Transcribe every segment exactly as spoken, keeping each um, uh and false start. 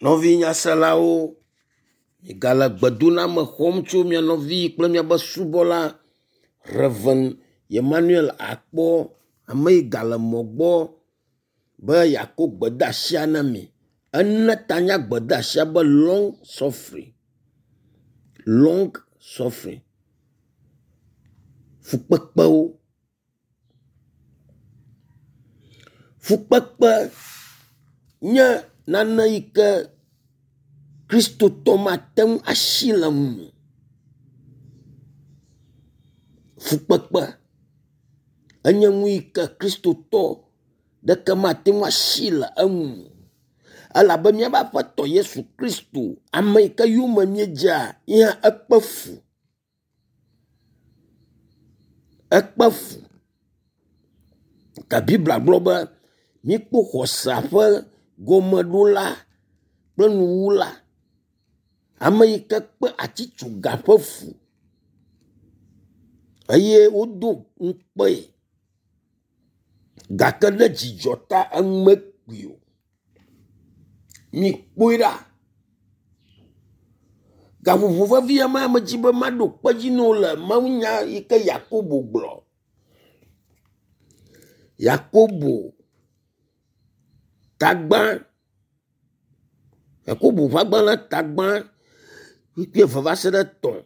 Nɔvi nyaselawo, migale gbedoname xɔm tso mia nɔvi kple miaƒe subɔla Rev. Emmanuel Akpɔ, ame yi gale mɔ gbɔ be yeakɔ gbedeasia na mi. Ene ta na gbedeasia be long suffering. Long suffering. Fukpekpewo. Fukpekpe nye nane yi ke kristotɔ mate ŋu asi le enu o. Fukpekpe enye nu yi ke kristotɔ ɖeke mate ŋu asi le enu o elabe míaƒe aƒetɔ Yesu Kristo ame yi ke yome míedzea ye hã ekpe fu. Ekpe fu. Ke Biblia gblɔ be míkpɔ xɔsea ƒe gɔmeɖola kple nuwula. Ame yi ke kpe atsitsoga ƒe fu eye wodo ŋukpee gake ɖe dzidzɔ ta enu mekui o. Mikpɔe ɖa. Gaƒoƒo vevi ya me medzi be maɖo kpe edzi na wo le mawunya yi ke Yakobo gblɔ. Yakobo tagba Yakobo ƒe agbalẽ tagba kpukpui eve va se ɖe etɔ̃.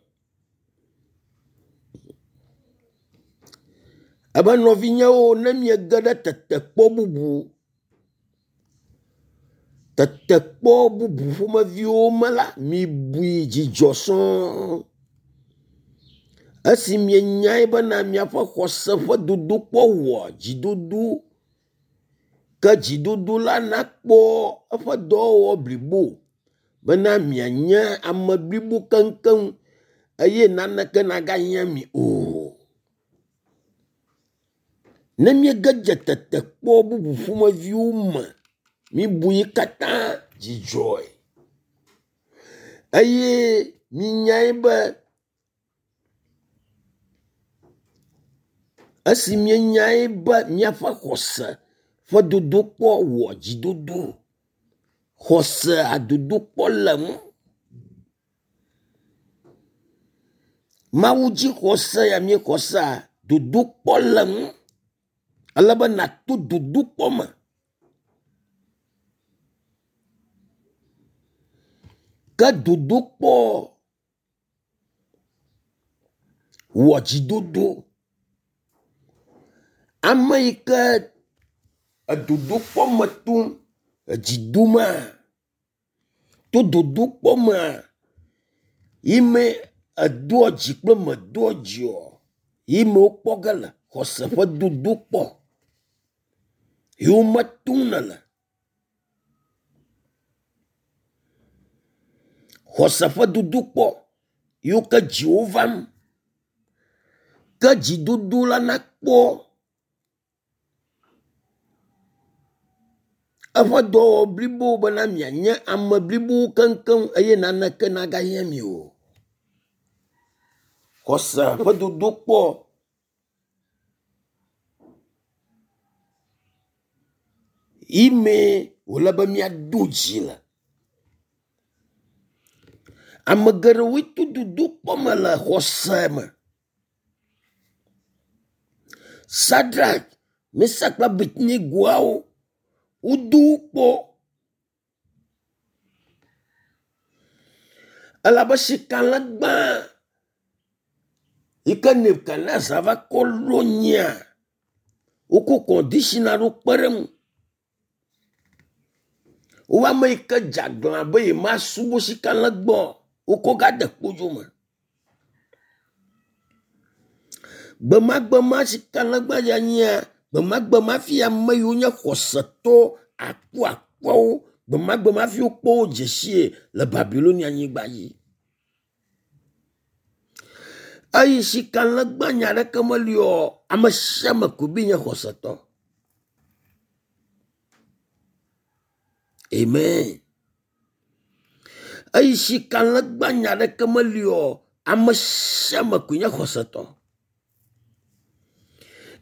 Ebe nɔvinyewo ne miege ɖe tetekpɔ bubu tetekpɔ bubu ƒomeviwo me la, mibui dzidzɔ sɔŋ. Esi mienyae bena miaƒe xɔse ƒe dodokpɔ wɔa dzidodo ke dzidodo la nakpɔ eƒe dɔwɔwɔ blibo bena mianye ame blibo keŋkeŋ eye naneke nagahiã mi o. Ne míege dze tetekpɔ bubu ƒomeviwo me, mibu yi katã dzidzɔe eye minyae be esi mienyae be miaƒe xɔse ƒe dodokpɔ wɔ dzidodo. Xɔsea dodokpɔ le ŋu. Mawu dzixɔse ya míexɔ sea, dodokpɔ le ŋu. Ale be nàto dodokpɔ me. Ke dodokpɔ wɔ dzidodo. Ame yi ke edodokpɔ me tom, edzi domaa, to dodokpɔ mea, yi me edoa dzi kple medoa dzi o, yi me wokpɔ ge le xɔse ƒe dodokpɔ yi wo me tom nèle. Xɔse ƒe dodokpɔ yiwo ke dziwò vam. Ke dzidodo la nakpɔ eƒe dɔwɔwɔ blibo bena mianye ame blibowo keŋkeŋ eye naneke nagahiã mi o. Xɔse ƒe dodokpɔ yi mee wòle be míado dzi le. Ame geɖewoe to dodokpɔ me le xɔse me. Sadrak, Mesak kple Abednegoawo wodo wo kpɔ elabe sikalegba yi ke Nebukadnezar va kɔ ɖo anyia, wokɔ kɔndishina ɖo kpe ɖe eŋu. Wo ame yi ke dze aglã be yemasubɔ sikalegba o, wokɔ gade kpodzo me. Gbemagbe ma sikalegba dze anyia, gbemagbe ma hafi ame yiwo nye xɔsetɔ akuakuawo, gbemagbe ma hafi wokpɔ wo dze sie le Babilonia nyigba dzi. Eyi sikalegba nya ɖeke meli o, ame sia ame koe be nye xɔsetɔ. Amen. Eyi sikalegba nya ɖeke meli o, ame sia ame koe nye xɔsetɔ.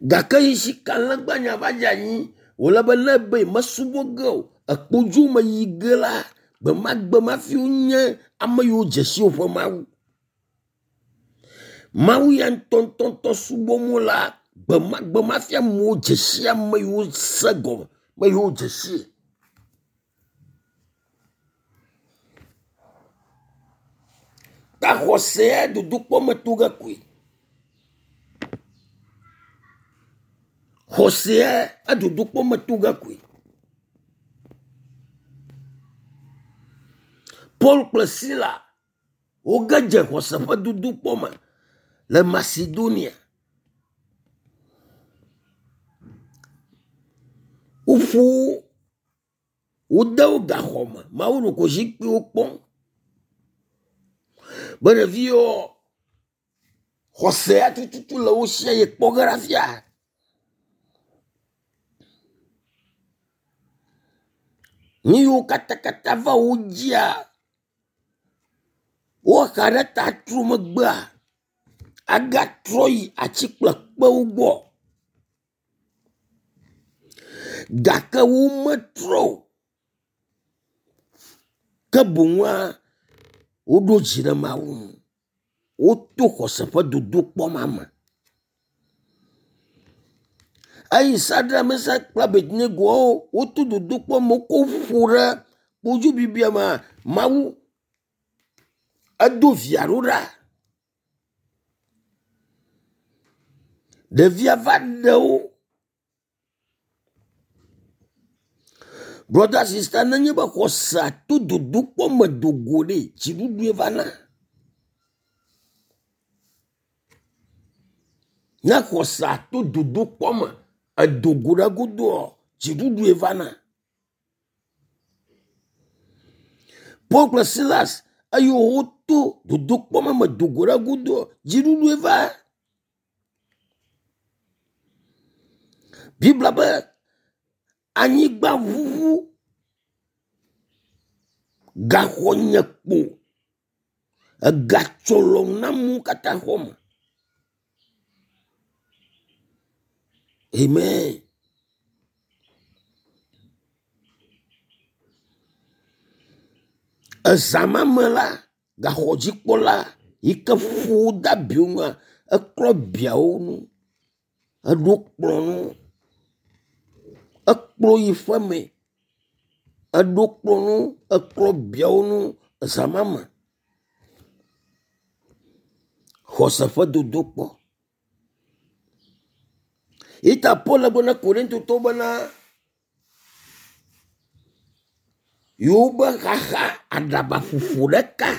Gake yi sikalegba nya va dze anyi, wòle be ne ebe yemesubɔ ge o, ekpodzo me yi ge la, Gbemagbe hafi wonye ame yiwo dze si woƒe Mawu. Mawu ya ŋutɔŋutɔŋutɔ subɔm wolea, gbemagbe hafi amewo dze si ame yiwo se gɔme be yewo dze sii. Ta xɔsea dodokpɔ me to ge koe. Xɔsea edodokpɔ me to ge koe. Paul kple Sila woge dze xɔse ƒe dodokpɔ me le Macedonia. Woƒo wo, wode wo gaxɔ me. Mawu ɖeko zikpuiwo kpɔm be ɖevi yiwo xɔsea tututu le wo sia ye kpɔ ge ɖe afia. Nu yiwo katakata va wo dzia, woxa ɖe ta tro megbea agatrɔ yi atsi kple kpewo gbɔ gake wometrɔ o. Ke boŋua woɖo dzi ɖe Mawu ŋu. Woto xɔse ƒe dodokpɔ ma me. Eyi Sadrak, Mesak kple Abednego woto dodokpɔ me wokɔ wo ƒo ɖe kpodzo bibia mea, Mawu edo via ɖo ɖa. Ɖevia va ɖe wo. Brother sister, nenye be xɔsea to dodokpɔ me do go ɖe, dziɖuɖue vana. Ne xɔsea to dodokpɔ me edo go ɖe egodoa, dziɖuɖue vana. Paul kple Silas eye woto dodokpɔ ma me do go ɖe egodoa, dziɖuɖue va. Biblia be anyigba ʋuʋu, gaxɔ nye kpo, egatsɔ lɔ na amewo katã xɔ me. Amen. Ezã ma me la, gaxɔdzikpɔla yi ke ƒo wo de abiwo nua, eklɔ biawo ŋu, eɖo kplɔ nu, ekplɔ yi ƒeme, eɖo kplɔ nu, eklɔ biawo ŋu ezã ma me. Xɔse ƒe dodokpɔ. Ita Paul le gblɔ na Korintotɔwo bena yewobe xaxa aɖabaƒoƒo ɖeka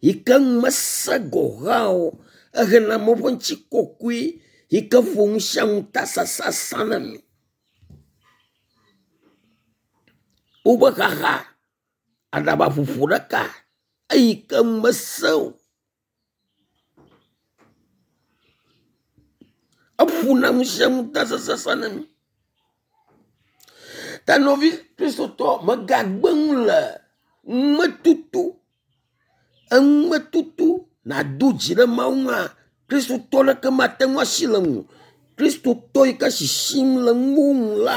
yi ke mese gɔ hã o, ehena amewo ƒe ŋutikɔkɔe yi ke ƒo nu sia nu ta sasasa na mi. Wobe xaxa aɖabaƒoƒo ɖeka eyi ke mese o, eƒona nu sia nu ta sasasa na mi. Ta nɔvi Kristotɔ megagbe nu le numetutu, enumetutu nàdo dzi ɖe Mawu ŋua, Kristotɔ ɖeke mate ŋu asi le ŋu. Kristotɔ yi ke sisim le nuwo ŋu la,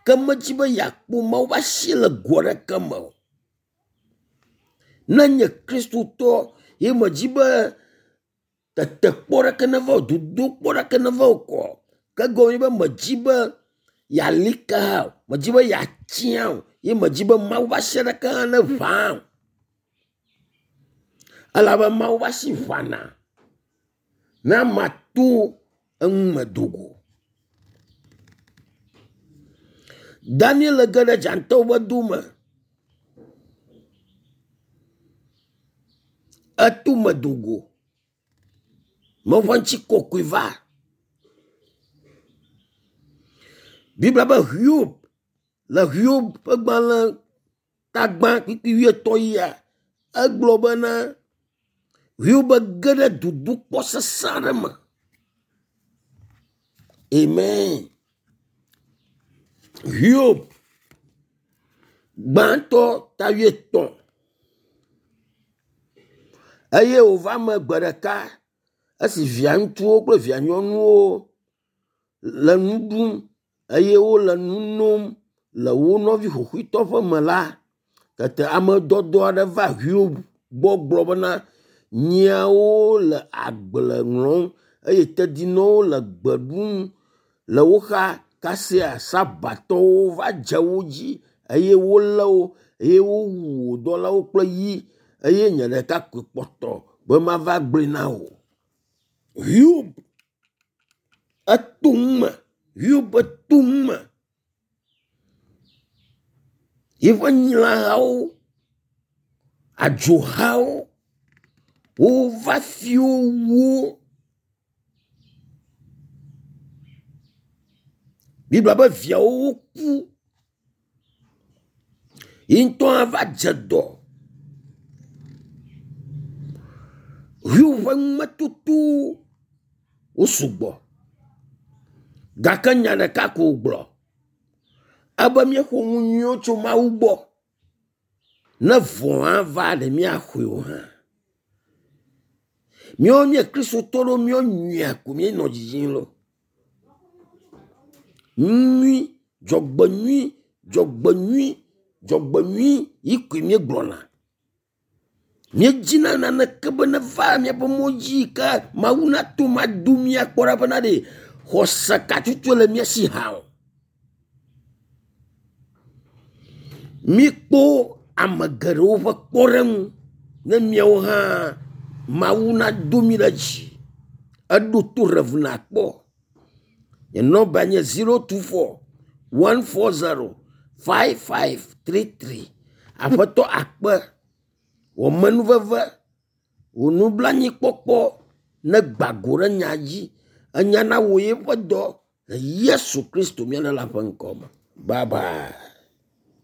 ke medzi be yeakpɔ Mawu ƒe asi le go aɖeke me o. Ne nye Kristotɔ ye medzi be tetekpɔ ɖeke neva o, dodokpɔ ɖeke neva o kɔ, ke gɔme be medzi be yeali ke hã o, medzi be yeatia o, ye medzi be Mawu ƒe asi ɖeke hã ne ʋã o. Elabe Mawu ƒe asi ʋãna ne amea to enu me do go. Daniel ge ɖe dzatawo ƒe do me. Eto me do go. Mawu ƒe ŋutikɔkɔe va. Biblia be Hiob le Hiob ƒe gbalẽ tagba kpukpui wuietɔ̃ yia, egblɔ bena Hiob ge ɖe dodokpɔ sesẽ aɖe me. Amen. Hiob gbãtɔ ta wuietɔ̃. Eye wòva me gbe ɖeka esi via ŋutsuwo kple via nyɔnuwo le nu ɖum eye wole nu nom le wo nɔvi xoxoitɔ ƒe me la, Tete ame dɔdɔ aɖe va Hiob gbɔ gblɔ bena nyiawo le agble ŋlɔm eye tedzinɔwo le gbe ɖum le wo xa kasia sabatɔwo va dze wo dzi eye wolé wo eye wowu wò dɔlawo kple yi eye nye ɖeka koe kpɔtɔ be mava gblɔe na wò. Hiob eto nu me, Hiob eto nu me. Yeƒe nyilahawo, adzohawo wova fi wo wu wo. Biblia be viawo woku. Yi ŋutɔ hã va dze dɔ. Hiob ƒe numetotowo wo sugbɔ gake nya ɖeka ko wògblɔ ebe míeƒo nu nyuiwo tso Mawu gbɔ. Ne vɔ̃ hã va ɖe míaxɔe o hã. Míawo míe kristotɔ ɖewo míawo nyuia ko míenɔ dzidzim loo. Nu nyui, dzɔgbenyui, dzɔgbenyui, dzɔgbenyui yi koe míegblɔna. Míedzina naneke be neva míaƒe mɔ dzi yi ke Mawu nato mado mía kpɔ ɖa bena ɖe xɔse ka tutu le mía si hã o. Míkpɔ ame geɖewo ƒe kpɔɖeŋu ne míawo hã Mawu nado mí ɖe dzi. Eɖo to Rev. Akpɔ. Nye nɔmba nye zero two four one four zero five five three three. Aƒetɔ akpe wò amenuveve, wò nublanuikpɔkpɔ negba go ɖe nya dzi. Enya nawɔ yeƒe dɔ le Yesu Kristo mía Ɖela ƒe ŋkɔ me. Bye bye.